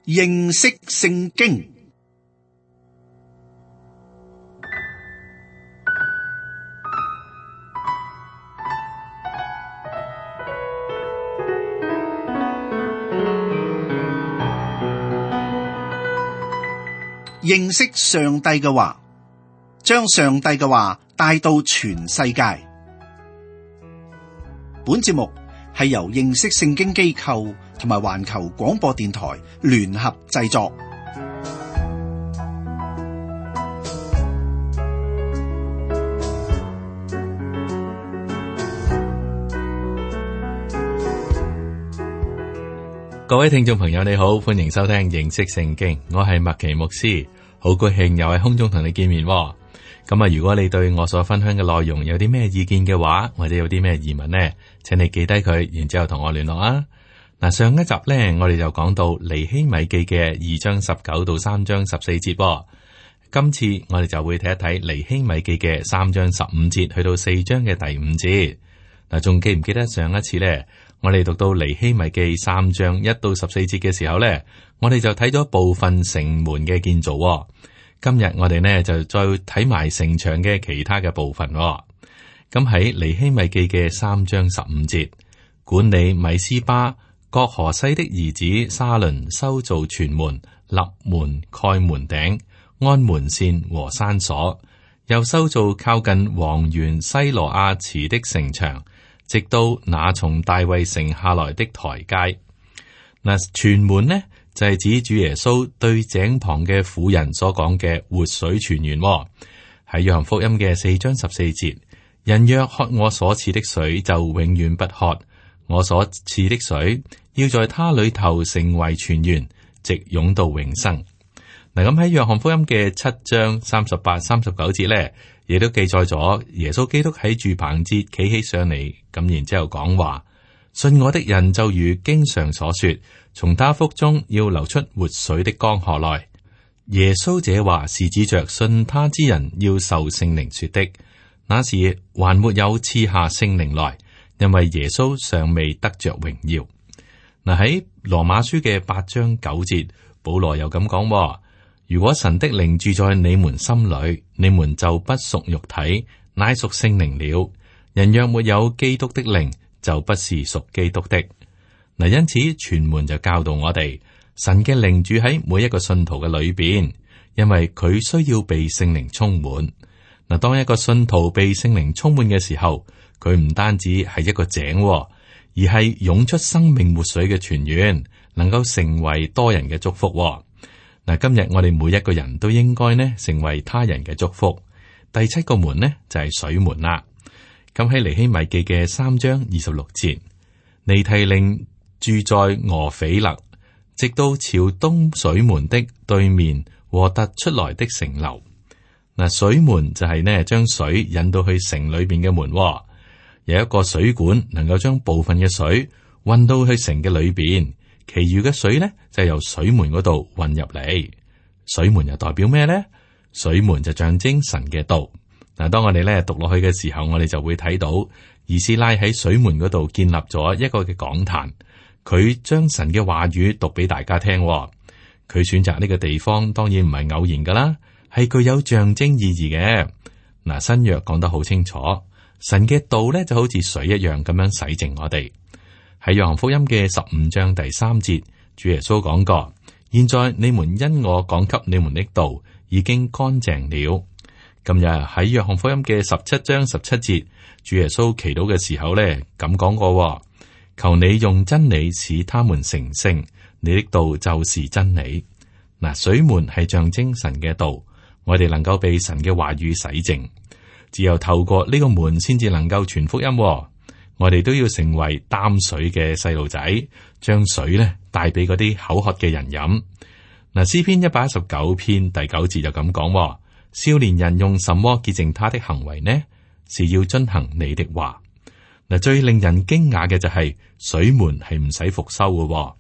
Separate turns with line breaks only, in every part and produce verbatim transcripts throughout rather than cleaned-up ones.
認識聖經。認識上帝嘅話，將上帝嘅話帶到全世界。本節目係由認識聖經機構同埋環球廣播電台聯合製作。
各位聽眾朋友你好，歡迎收聽認識聖經，我係麥奇牧師，好高興又喺空中同你見面。咁啊，如果你對我所分享嘅內容有啲咩意見嘅話，或者有啲咩疑問呢，請你記低佢，然之後同我聯絡啊。嗱，上一集呢，我哋就講到尼希米記嘅二章十九到三章十四節。今次我哋就會睇一睇尼希米記嘅三章十五節去到四章嘅第五節。嗱，仲記唔記得上一次呢？我哋讀到尼希米記三章一到十四節嘅時候呢，我哋就睇咗部分城門嘅建造。今日我哋呢就再睇埋城牆嘅其他嘅部分。咁喺尼希米記嘅三章十五節，管理米斯巴各河西的兒子沙倫修造全門、立門、蓋門頂、安門扇和山鎖，又修造靠近王園西羅亞池的城牆，直到那從大衛城下來的台階。嗱，全門呢就係、是、指主耶穌對井旁嘅婦人所講嘅活水泉源。喺約翰福音嘅四章十四節，人若喝我所賜的水，就永遠不渴。我所賜的水要在他裏頭成為泉源，直湧到永生。嗱，咁喺約翰福音嘅七章三十八、三十九節咧，亦都記載咗耶穌基督喺住棚節企起上嚟，咁然之後講話：信我的人就如經上所說，從他腹中要流出活水的江河來。耶穌這話是指着信他之人要受聖靈說的。那時還沒有賜下聖靈來，因為耶穌尚未得着榮耀。嗱，喺羅馬書嘅八章九節，保羅又咁講：如果神的靈住在你們心裏，你們就不屬肉體，乃屬聖靈了。人若沒有基督的靈，就不是屬基督的。嗱，因此全門就教導我哋，神嘅靈住喺每一個信徒嘅裏邊，因為佢需要被聖靈充滿。嗱，當一個信徒被聖靈充滿嘅時候，佢唔單止係一個井，而係湧出生命活水嘅泉源，能夠成為多人嘅祝福。嗱，今日我哋每一個人都應該呢成為他人嘅祝福。第七個門呢就係水門啦。咁喺尼希米記嘅三章二十六節，尼提寧住在俄斐勒，直到朝東水門的對面和突出來的城樓。嗱，水門就係呢將水引到去城裏邊嘅門，有一個水管能夠將部分嘅水運到去城嘅裏邊。其餘嘅水呢，就由水門嗰度運入嚟。水門又代表咩呢？水門就象徵神嘅道。嗱，當我哋咧讀落去嘅時候，我哋就會睇到以斯拉喺水門嗰度建立咗一個嘅講壇，佢將神嘅話語讀俾大家聽。佢選擇呢個地方，當然唔係偶然噶啦，係具有象徵意義嘅。嗱，新約講得好清楚，神嘅道咧就好似水一樣咁樣洗淨我哋。喺約翰福音嘅十五章第三節，主耶穌講過：現在你們因我講給你們的道已經乾淨了。今日喺約翰福音嘅十七章十七節，主耶穌祈禱嘅時候咧咁講過：求你用真理使他們成聖，你的道就是真理。嗱，水門係象徵神嘅道，我哋能夠被神嘅話語洗淨，只有透過呢個門先至能夠傳福音。我哋都要成為擔水嘅細路仔，將水咧帶俾嗰啲口渴嘅人飲。嗱，詩篇一百一十九篇第九節就咁講：少年人用什麼潔淨他的行為呢？是要遵行你的話。嗱，最令人驚訝嘅就係水門係唔使復修嘅。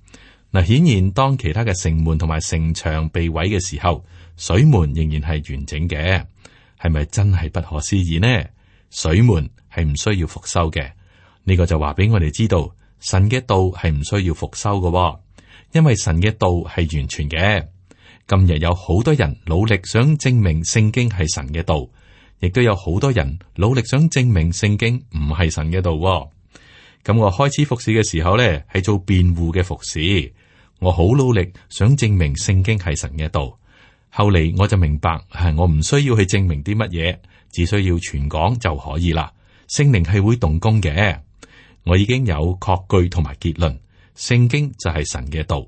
嗱，顯然當其他嘅城門同埋城牆被毀嘅時候，水門仍然係完整嘅。係咪真係不可思議呢？水門係唔需要復修嘅。呢個就話俾我哋知道，神嘅道係唔需要復修嘅，因為神嘅道係完全嘅。今日有好多人努力想證明聖經係神嘅道，亦都有好多人努力想證明聖經唔係神嘅道。咁我開始服侍嘅時候咧，係做辯護嘅服侍，我好努力想證明聖經係神嘅道。後嚟我就明白，係我唔需要去證明啲乜嘢，只需要傳講就可以啦。聖靈係會動工嘅，我已經有確據同埋結論，聖經就係神嘅道。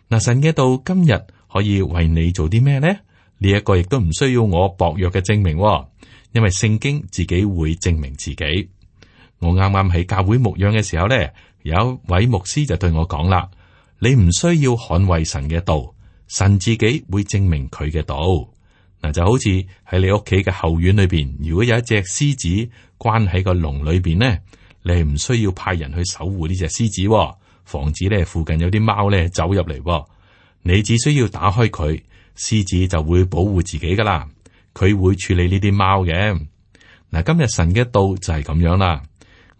嗱，神嘅道今日可以為你做啲咩呢？呢一個亦都唔需要我薄弱嘅證明，因為聖經自己會證明自己。我啱啱喺教會牧養嘅時候咧，有一位牧師就對我講啦：你唔需要捍衛神嘅道，神自己會證明佢嘅道。嗱，就好似喺你屋企嘅後院裏邊，如果有一隻獅子關喺個籠裏邊呢，你係唔需要派人去守護呢隻獅子，防止咧附近有啲貓咧走入嚟。你只需要打開佢，獅子就會保護自己噶啦。佢會處理呢啲貓嘅。嗱，今日神嘅道就係咁樣啦。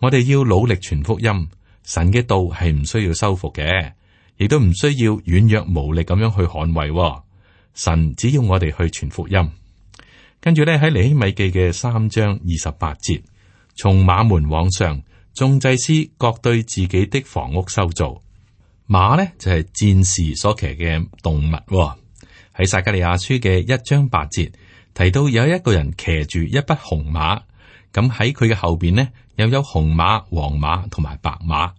我哋要努力傳福音，神嘅道係唔需要修復嘅，亦都唔需要軟弱無力咁樣去捍衛。神只要我哋去傳福音。跟住咧喺尼希米記嘅三章二十八節，從馬門往上，眾祭司各對自己的房屋修造。馬呢就係戰士所騎嘅動物。喺撒迦利亞書嘅一章八節提到有一個人騎住一匹紅馬，咁喺佢嘅後邊呢又有紅馬、黃馬同埋白馬。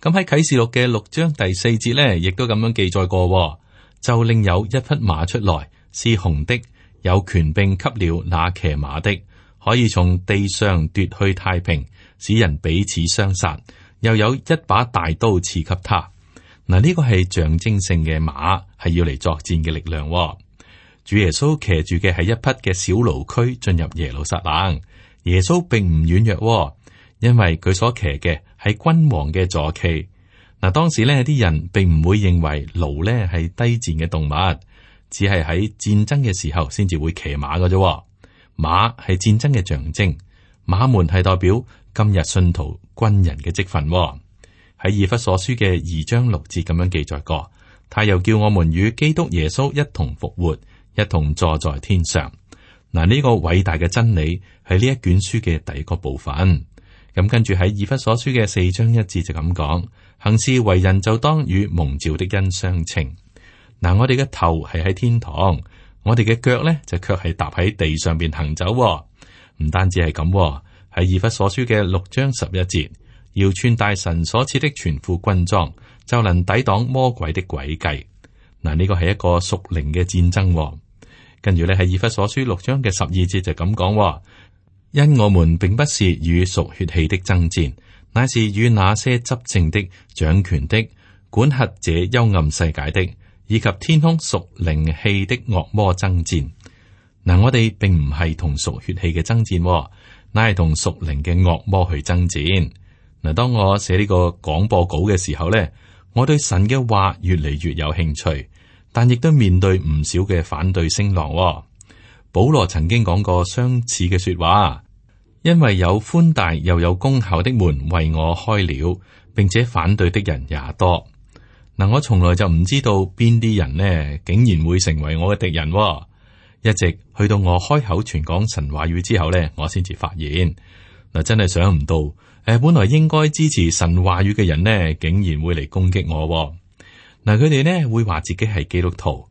咁喺啟示錄嘅六章第四節呢，亦都咁樣記載過，就另有一匹馬出來，是紅的，有權柄給了那騎馬的，可以從地上奪去太平，使人彼此相殺，又有一把大刀賜給他。嗱，呢個係象徵性嘅馬，係要嚟作戰嘅力量。主耶穌騎住嘅係一匹嘅小驢駒進入耶路撒冷。耶穌並唔軟弱，因為佢所騎嘅係君王嘅坐騎。嗱，當時呢啲人並唔會認為驢呢係低賤嘅動物，只係喺戰爭嘅時候先至會騎馬嘅啫。馬係戰爭嘅象徵，馬門係代表今日信徒軍人嘅職分。喺以弗所書嘅二章六節咁樣記載過，他又叫我們與基督耶穌一同復活，一同坐在天上。嗱，呢個偉大嘅真理係呢一卷書嘅第一個部分。咁跟住喺以弗所書嘅四章一節就咁講，行事為人就當與蒙召的恩相稱。嗱，我哋嘅頭係喺天堂，我哋嘅腳咧就卻係踏喺地上邊行走。唔單止係咁，喺以弗所書嘅六章十一節。要穿戴神所賜的全副軍裝，就能抵擋魔鬼的詭計。嗱，呢個係一個屬靈嘅戰爭。跟住咧喺以弗所書六章嘅十二節就咁講：因我們並不是與屬血氣的爭戰，乃是與那些執政的、掌權的、管轄這幽暗世界的，以及天空屬靈氣的惡魔爭戰。嗱，我哋並唔係同屬血氣嘅爭戰，乃係同屬靈嘅惡魔去爭戰。嗱，當我寫呢個廣播稿嘅時候咧，我對神嘅話越嚟越有興趣，但亦都面對唔少嘅反對聲浪。保羅曾經講過相似嘅說話，因為有寬大又有功效的門為我開了，並且反對的人也多。嗱，我從來就唔知道邊啲人呢，竟然會成為我嘅敵人。一直去到我開口傳講神話語之後呢，我先至發現，嗱，真係想唔到。誒，本來應該支持神話語嘅人呢，竟然會嚟攻擊我。嗱，佢哋呢會話自己係基督徒，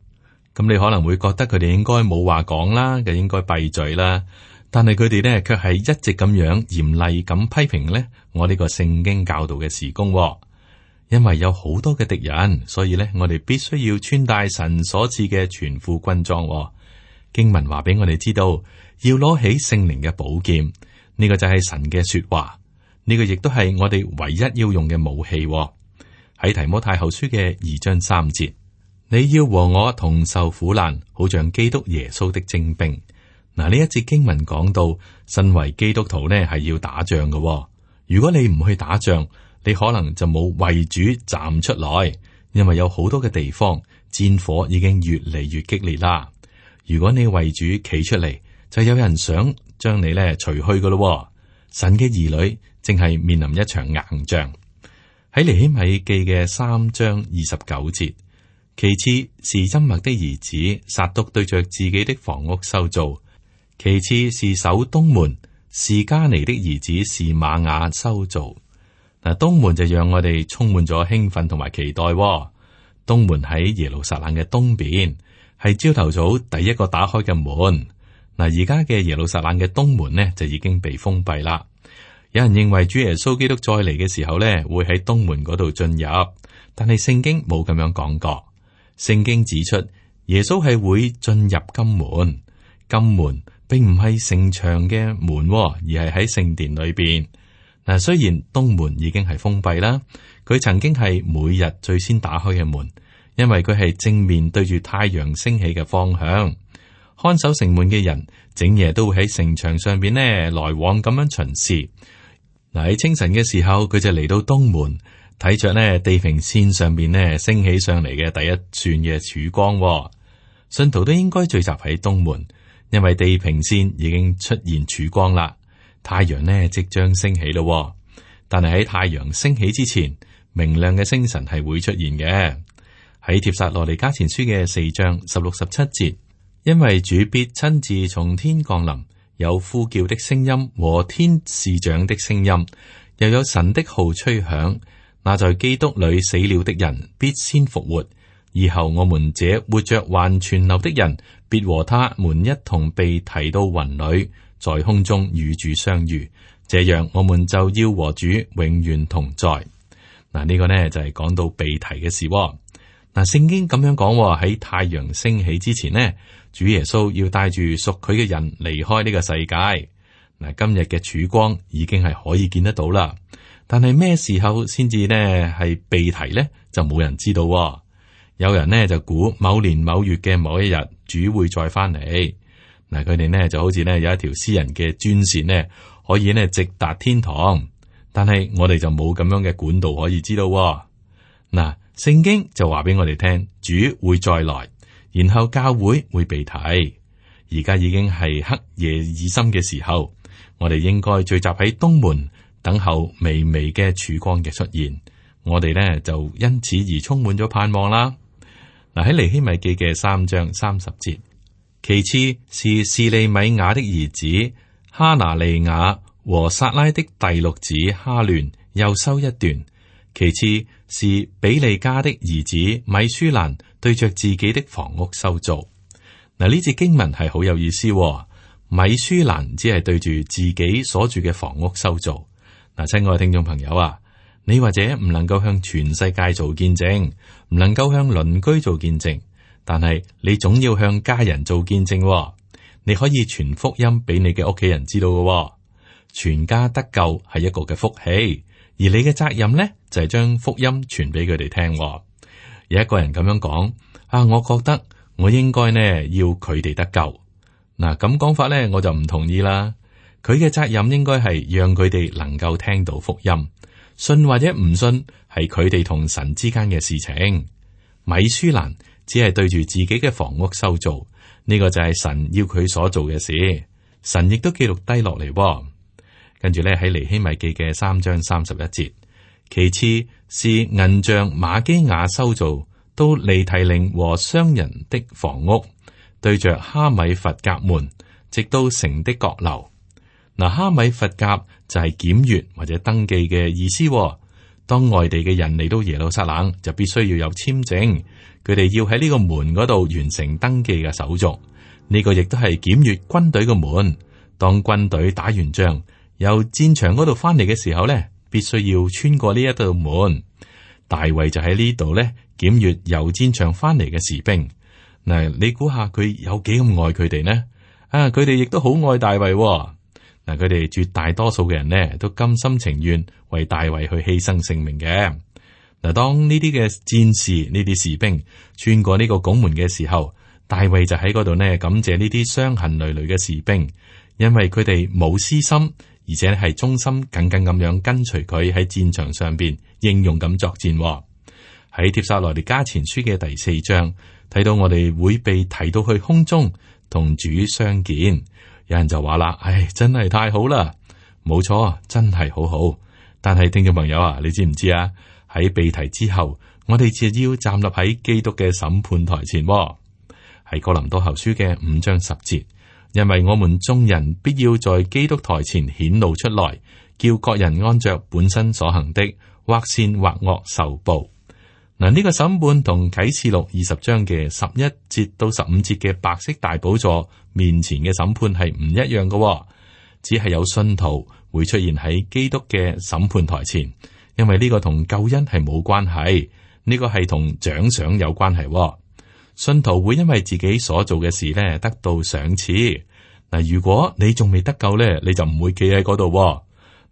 咁你可能會覺得佢哋應該冇話講啦，嘅應該閉嘴啦。但係佢哋呢卻係一直咁樣嚴厲咁批評呢我呢個聖經教導嘅事工。因為有好多嘅敵人，所以呢我哋必須要穿戴神所賜嘅全副軍裝。經文話俾我哋知道，要攞起聖靈嘅寶劍，呢個就係神嘅說話。呢個亦都係我哋唯一要用嘅武器。喺提摩太後書嘅二章三節，你要和我同受苦難，好像基督耶穌的精兵。嗱，呢一節經文講到，身為基督徒呢係要打仗嘅。如果你唔去打仗，你可能就冇為主站出來，因為有好多嘅地方戰火已經越嚟越激烈啦。如果你為主企出嚟，就有人想將你咧除去噶咯。神嘅兒女正係面臨一場硬仗。喺尼希米記嘅三章二十九節。其次是真麥的兒子撒督對着自己的房屋修造，其次是守東門示迦尼的兒子示瑪雅修造。嗱，東門就讓我哋充滿咗興奮同埋期待。東門喺耶路撒冷嘅東邊，係朝頭早第一個打開嘅門。嗱，而家嘅耶路撒冷嘅東門呢就已經被封閉啦。有人認為主耶穌基督再嚟嘅時候呢會喺東門嗰度進入，但係聖經冇咁樣講過。聖經指出耶穌係會進入金門，金門並唔係城牆嘅門，而係喺聖殿裏邊。嗱，雖然東門已經係封閉啦，佢曾經係每日最先打開嘅門，因為佢係正面對住太陽升起嘅方向。看守城門嘅人整夜都會喺城牆上邊呢來往咁樣巡視。嗱，喺清晨嘅時候，佢就嚟到東門，睇着呢地平線上邊呢升起上嚟嘅第一串嘅曙光。信徒都應該聚集喺東門，因為地平線已經出現曙光啦。太陽呢即將升起咯，但係喺太陽升起之前，明亮嘅星辰係會出現嘅。喺帖撒羅尼迦前書嘅四章十六十七節，因為主必親自從天降臨，有呼叫的聲音和天使長的聲音，又有神的號吹響。那在基督裏死了的人必先復活，以後我們這活着還存留的人，必和他們一同被提到雲裏，在空中與主相遇。這樣我們就要和主永遠同在。嗱，呢個呢就係講到被提嘅事。嗱，聖經咁樣講，喺太陽升起之前呢，主耶穌要帶住屬佢嘅人離開呢個世界。嗱，今日嘅曙光已經係可以見得到啦。但係咩時候先至呢係被提呢？就冇人知道。有人呢就估某年某月嘅某一日，主會再翻嚟。嗱，佢哋呢就好似呢有一條私人嘅專線呢，可以呢直達天堂。但係我哋就冇咁樣嘅管道可以知道。嗱，聖經就話俾我哋聽，主會再來，然後教會會被提。而家已經係黑夜已深嘅時候，我哋應該聚集喺東門，等候微微嘅曙光嘅出現。我哋呢就因此而充滿咗盼望啦。嗱，喺尼希米記嘅三章三十節，其次是示利米亞的兒子哈拿利亞和撒拉的第六子哈亂，又收一段。其次是比利家的兒子米舒蘭對着自己的房屋修造。嗱，呢節經文係好有意思。米舒蘭只係對住自己所住嘅房屋修造。嗱，親愛嘅聽眾朋友啊，你或者唔能夠向全世界做見證，唔能夠向鄰居做見證，但係你總要向家人做見證。你可以傳福音俾你嘅屋企人知道嘅，全家得救係一個嘅福氣，而你嘅責任呢，就係將福音傳俾佢哋聽。有一個人咁樣講啊，我覺得我應該呢要佢哋得救。嗱，咁講法呢，我就唔同意啦。佢嘅責任應該係讓佢哋能夠聽到福音，信或者唔信係佢哋同神之間嘅事情。米舒蘭只係對住自己嘅房屋修造，呢個就係神要佢所做嘅事，神亦都記錄低落嚟。跟住咧喺尼希米記嘅三章三十一節，其次是銀匠瑪基亞修造到尼提寧和商人的房屋，對着哈米弗甲門，直到城的角樓。嗱，哈米弗甲就係檢閱或者登記嘅意思。當外地嘅人嚟到耶路撒冷，就必須要有簽證，佢哋要喺呢個門嗰度完成登記嘅手續。呢、這個亦都係檢閱軍隊嘅門。當軍隊打完仗，由戰場嗰度翻嚟嘅時候呢，必須要穿過呢一道門。大衛就喺呢度呢檢閱由戰場翻嚟嘅士兵。嗱，你估下佢有幾咁愛佢哋呢？啊，佢哋亦都好愛大衛。嗱，佢哋絕大多數嘅人呢，都甘心情願為大衛去犧牲性命嘅。嗱，當呢啲嘅戰士、呢啲士兵穿過呢個拱門嘅時候，大衛就喺嗰度呢感謝呢啲傷痕累累嘅士兵，因為佢哋冇私心，而且係忠心耿耿咁樣跟隨佢喺戰場上邊英勇咁作戰。喺帖撒羅尼迦前書嘅第四章睇到我哋會被提到去空中同主相見。有人就話啦，唉，真係太好啦！冇錯，真係好好。但係聽眾朋友啊，你知唔知啊？喺被提之後，我哋就要站立喺基督嘅審判台前。喺哥林多後書嘅五章十節，因為我們眾人必要在基督台前顯露出來，叫各人按着本身所行的，或善或惡受報。嗱，呢個審判同啟示錄二十章嘅十一節到十五節嘅白色大寶座面前嘅審判係唔一樣嘅，只係有信徒會出現喺基督嘅審判台前，因為呢個同救恩係冇關係，呢個係同獎賞有關係。信徒會因為自己所做嘅事咧得到賞賜。嗱，如果你仲未得救咧，你就唔會企喺嗰度。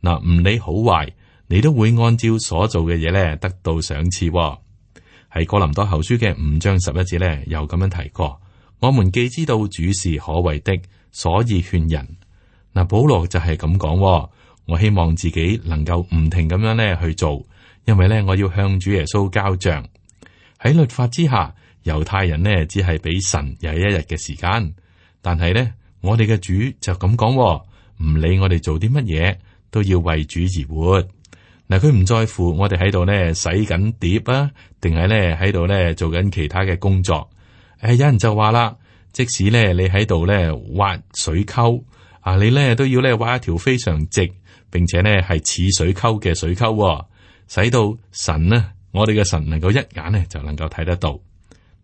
嗱，唔理好壞，你都會按照所做嘅嘢咧得到賞賜。喺哥林多後書嘅五章十一節咧，又咁樣提過：我們既知道主是可畏的，所以勸人。嗱，保羅就係咁講。我希望自己能夠唔停咁樣咧去做，因為咧我要向主耶穌交賬。喺律法之下，猶太人呢只係俾神有一日嘅時間，但係咧我哋嘅主就咁講，唔理我哋做啲乜嘢，都要為主而活。嗱，佢唔在乎我哋喺度咧洗緊碟啊，定係咧喺度咧做緊其他嘅工作。誒，有人就話啦，即使咧你喺度咧挖水溝啊，你咧都要咧挖一條非常直，並且咧係似水溝嘅水溝，使到神呢，我哋嘅神能夠一眼呢就能夠睇得到。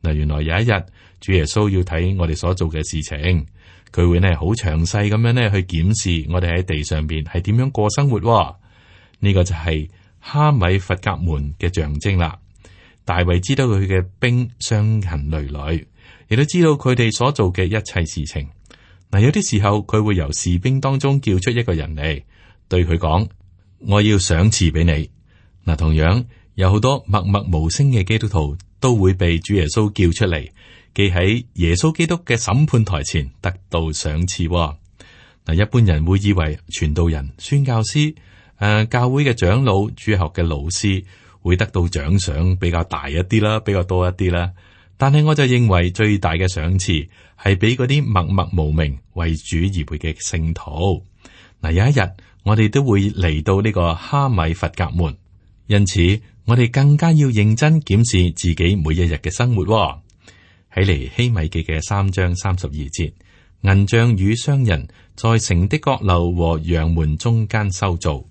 嗱，原來有一日主耶穌要睇我哋所做嘅事情，佢會呢好詳細咁樣呢去檢視我哋喺地上邊係點樣過生活。呢個就係哈米弗甲門嘅象徵啦。大衛知道佢嘅兵傷痕累累，亦都知道佢哋所做嘅一切事情。嗱，有啲時候佢會由士兵當中叫出一個人嚟，對佢講：我要賞賜俾你。嗱，同樣有好多默默無聲嘅基督徒都會被主耶穌叫出嚟，記喺耶穌基督嘅審判台前得到賞賜。嗱，一般人會以為傳道人、宣教師、誒、呃，教會嘅長老、主學嘅老師會得到獎賞比較大一啲啦，比較多一啲啦。但係我就認為最大嘅賞賜係俾嗰啲默默無名為主而活嘅聖徒。嗱，有一日我哋都會嚟到呢個哈米弗甲門，因此我哋更加要認真檢視自己每一日嘅生活。喺尼希米記嘅三章三十二節，銀匠與商人在城的閣樓和羊門中間修造。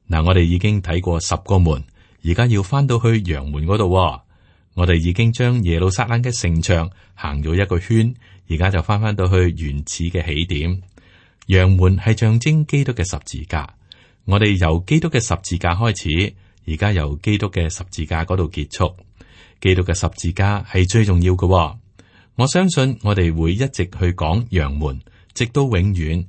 嗱，我哋已經睇過十個門，而家要翻到去羊門嗰度。我哋已經將耶路撒冷嘅城牆行咗一個圈，而家就翻翻到去原始嘅起點。羊門係象徵基督嘅十字架，我哋由基督嘅十字架開始，而家由基督嘅十字架嗰度結束。基督嘅十字架係最重要嘅。我相信我哋會一直去講羊門，直到永遠。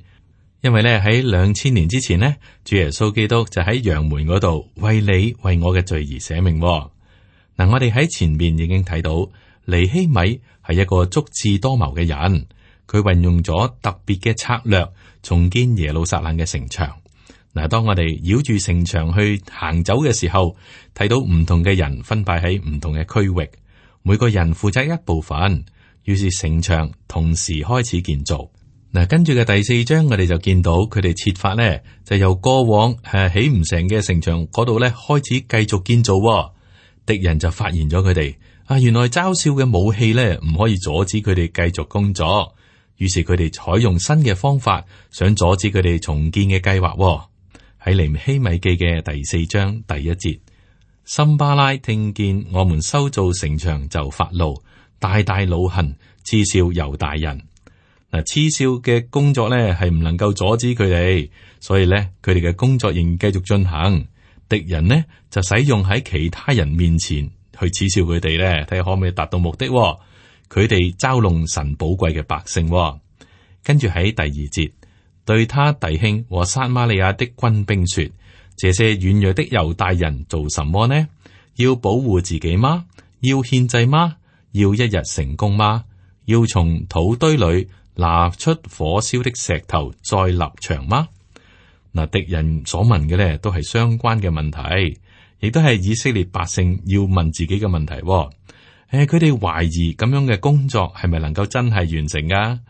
因為咧喺兩千年之前呢，主耶穌基督就喺羊門嗰度為你為我嘅罪而捨命。嗱，我哋喺前面已經睇到尼希米係一個足智多謀嘅人，佢運用咗特別嘅策略重建耶路撒冷嘅城牆。嗱，當我哋繞住城牆去行走嘅時候，睇到唔同嘅人分派喺唔同嘅區域，每個人負責一部分，於是城牆同時開始建造。嗱，跟住嘅第四章，我哋就見到佢哋設法咧，就由過往誒起唔成嘅城牆嗰度咧開始繼續建造。敵人就發現咗佢哋啊，原來嘲笑嘅武器咧唔可以阻止佢哋繼續工作，於是佢哋採用新嘅方法，想阻止佢哋重建嘅計劃。喺尼希米記嘅第四章第一節，參巴拉聽見我們修造城牆就發怒，大大惱恨，嗤笑猶大人。嗱，嗤笑嘅工作咧係唔能夠阻止佢哋，所以咧佢哋嘅工作仍然繼續進行。敵人呢就使用喺其他人面前去恥笑佢哋咧，睇下可唔可以達到目的。佢哋嘲弄神寶貴嘅百姓。跟住喺第二節，對他弟兄和撒瑪利亞的軍兵說：這些軟弱的猶大人做什麼呢？要保護自己嗎？要獻祭嗎？要一日成功嗎？要從土堆裏拿出火燒的石頭再立牆嗎？嗱，敵人所問嘅咧都係相關嘅問題，亦都係以色列百姓要問自己嘅問題。誒，佢哋懷疑咁樣嘅工作係咪能夠真係完成噶？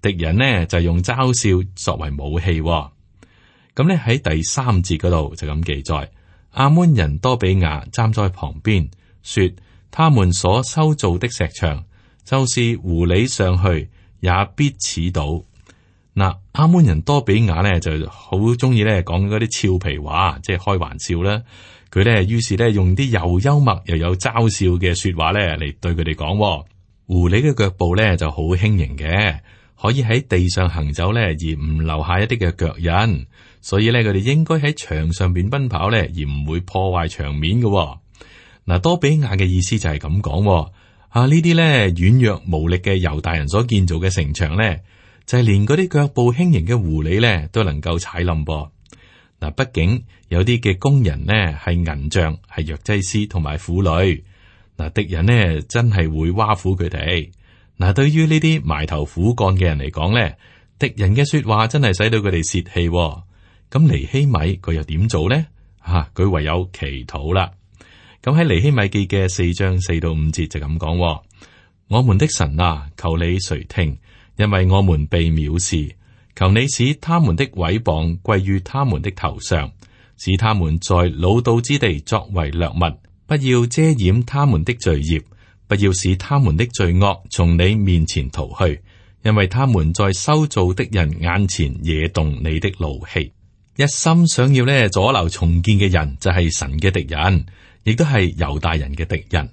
敵人呢就用嘲笑作為武器。咁咧喺第三節嗰度就咁記載：亞捫人多比亞站在旁邊，說：他們所修造的石牆，就是狐狸上去也必似倒。嗱，亞捫人多比亞咧就好中意咧講嗰啲俏皮話，即係開玩笑啦。佢咧於是咧用啲又幽默又有嘲笑嘅說話咧嚟對佢哋講。狐狸嘅腳步咧就好輕盈嘅，可以喺地上行走咧，而唔留下一啲嘅腳印。所以咧，佢哋應該喺牆上邊奔跑咧，而唔會破壞牆面嘅。嗱，多比亞嘅意思就係咁講。啊，呢啲咧軟弱無力嘅猶大人所建造嘅城牆咧，就係連嗰啲腳步輕盈嘅狐狸咧都能夠踩冧噃。嗱，畢竟有啲嘅工人呢係銀匠，係藥劑師同埋婦女。嗱，敵人呢真係會挖苦佢哋。嗱，對於呢啲埋頭苦幹嘅人嚟講咧，敵人嘅說話真係使到佢哋泄氣。咁尼希米佢又點做咧？吓、啊，佢唯有祈禱啦。咁喺尼希米記嘅四章四到五節就咁講：我們的神啊，求你垂聽，因為我們被藐視。求你使他們的毀謗歸於他們的頭上，使他們在擄到之地作為掠物。不要遮掩他們的罪孽，不要使他們的罪惡從你面前逃去，因為他們在修造的人眼前惹動你的怒氣。一心想要咧阻撓重建嘅人就係神嘅敵人，亦都係猶大人嘅敵人。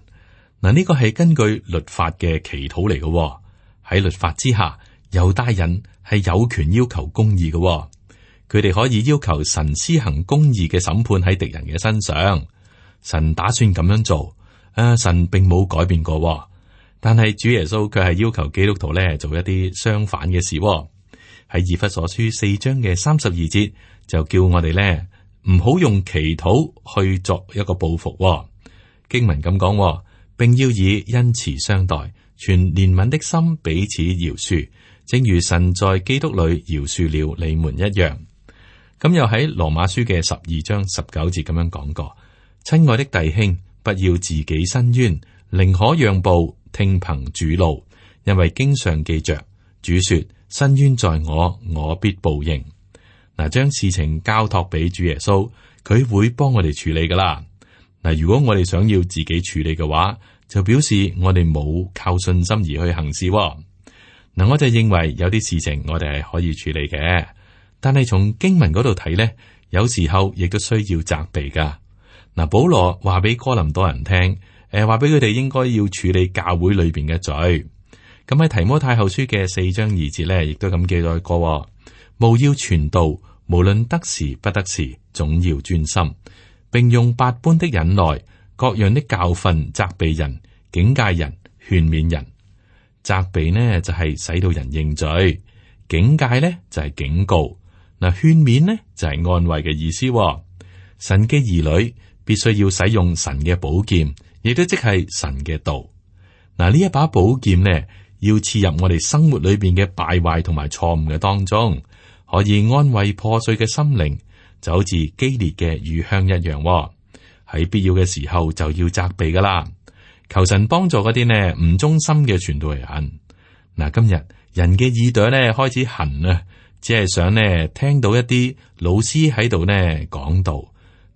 嗱，呢個係根據律法嘅祈禱嚟嘅。喺律法之下，猶大人係有權要求公義嘅。佢哋可以要求神施行公義嘅審判喺敵人嘅身上。神打算咁樣做，啊，神並冇改變過。但係主耶穌卻係要求基督徒咧做一啲相反嘅事。喺以弗所書四章嘅三十二節就叫我哋咧唔好用祈禱去作一個報復。經文咁講，並要以恩慈相待，存憐憫的心彼此饒恕，正如神在基督裏饒恕了你們一樣。咁又喺羅馬書嘅十二章十九節咁樣講過：親愛的弟兄，不要自己申冤，寧可讓步，聽憑主怒，因為經上記着，主說：申冤在我，我必報應。嗱，將事情交託俾主耶穌，佢會幫我哋處理噶啦。嗱，如果我哋想要自己處理嘅話，就表示我哋冇靠信心而去行事。嗱，我就認為有啲事情我哋係可以處理嘅，但係從經文嗰度睇咧，有時候亦都需要責備噶。嗱，保羅話俾哥林多人聽，誒，話俾佢哋應該要處理教會裏邊嘅罪。咁喺提摩太後書嘅四章二節咧，亦都咁記載過：務要傳道，無論得時不得時，總要專心，並用百般的忍耐、各樣的教訓責備人、警戒人、勸勉人。責備呢就係使到人認罪，警戒呢就係警告，嗱，勸勉呢就係安慰嘅意思。神嘅兒女必須要使用神嘅寶劍，亦都即係神嘅道。嗱，呢一把寶劍呢，要刺入我哋生活裏邊嘅敗壞同埋錯誤嘅當中，可以安慰破碎嘅心靈，就好似激烈嘅乳香一樣。喺必要嘅時候就要責備噶啦。求神幫助嗰啲呢唔忠心嘅傳道人。嗱，今日人嘅耳朵呢開始痕啊，只係想呢聽到一啲老師喺度呢講道，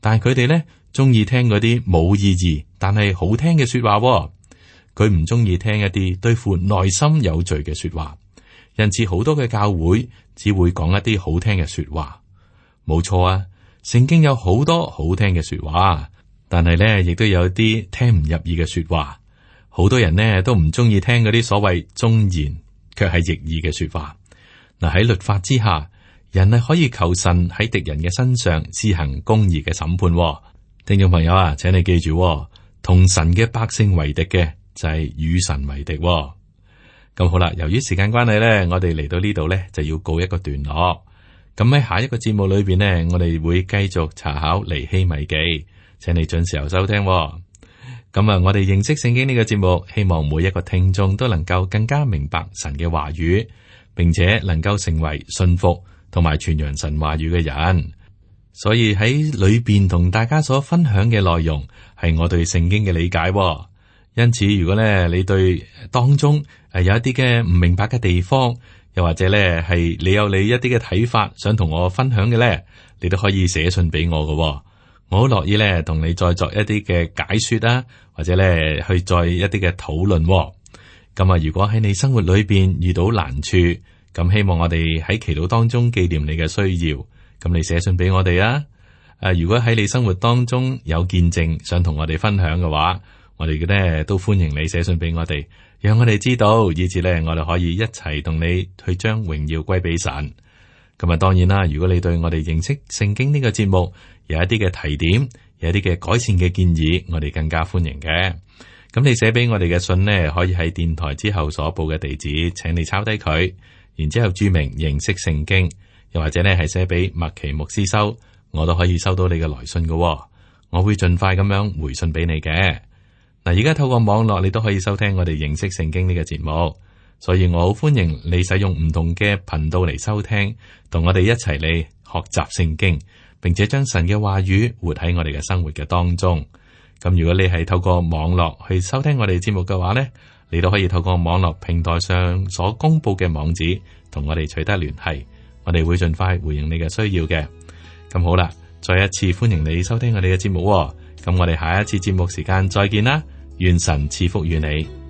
但係佢哋呢中意聽嗰啲冇意義但係好聽嘅說話。佢唔中意聽一啲對付內心有罪嘅說話，因此好多嘅教會只會講一啲好聽嘅說話。冇錯啊，聖經有好多好聽嘅說話。但係咧，亦都有啲聽唔入耳嘅說話。好多人呢都唔中意聽嗰啲所謂忠言，卻係逆耳嘅說話。嗱，喺律法之下，人係可以求神喺敵人嘅身上施行公義嘅審判。聽眾朋友啊，請你記住，同神嘅百姓為敵嘅就係與神為敵。咁好啦，由於時間關係咧，我哋嚟到呢度咧就要告一個段落。咁喺下一個節目裏邊呢，我哋會繼續查考尼希米記。請你準時候收聽、哦。咁啊，我哋認識聖經呢個節目，希望每一個聽眾都能夠更加明白神嘅話語，並且能夠成為信服同埋傳揚神話語嘅人。所以喺裏邊同大家所分享嘅內容，係我對聖經嘅理解、哦。因此，如果咧你對當中誒有一啲嘅唔明白嘅地方，又或者咧係你有你一啲嘅睇法，想同我分享嘅咧，你都可以寫信俾我嘅、哦。我好樂意咧同你再作一啲嘅解說啦，或者咧去再一啲嘅討論。咁啊，如果喺你生活裏邊遇到難處，咁希望我哋喺祈禱當中紀念你嘅需要，咁你寫信俾我哋啊。誒，如果喺你生活當中有見證想同我哋分享嘅話，我哋咧都歡迎你寫信俾我哋，讓我哋知道，以至咧我哋可以一齊同你去將榮耀歸俾神。咁啊，當然啦，如果你對我哋認識聖經呢個節目有一啲嘅提點，有一啲嘅改善嘅建議，我哋更加歡迎嘅。咁你寫俾我哋嘅信呢，可以喺電台之後所報嘅地址，請你抄低佢，然之後注明認識聖經，又或者呢係寫俾麥奇牧師收，我都可以收到你嘅來信嘅。我會盡快咁樣回信俾你嘅。嗱，而家透過網絡，你都可以收聽我哋認識聖經呢個節目。所以我好歡迎你使用唔同嘅頻道嚟收聽，同我哋一齊嚟學習聖經，並且將神嘅話語活喺我哋嘅生活嘅當中。咁如果你係透過網絡去收聽我哋節目嘅話呢，你都可以透過網絡平台上所公布嘅網址同我哋取得聯繫，我哋會盡快回應你嘅需要嘅。咁好啦，再一次歡迎你收聽我哋嘅節目。咁我哋下一次節目時間再見啦，願神賜福於你。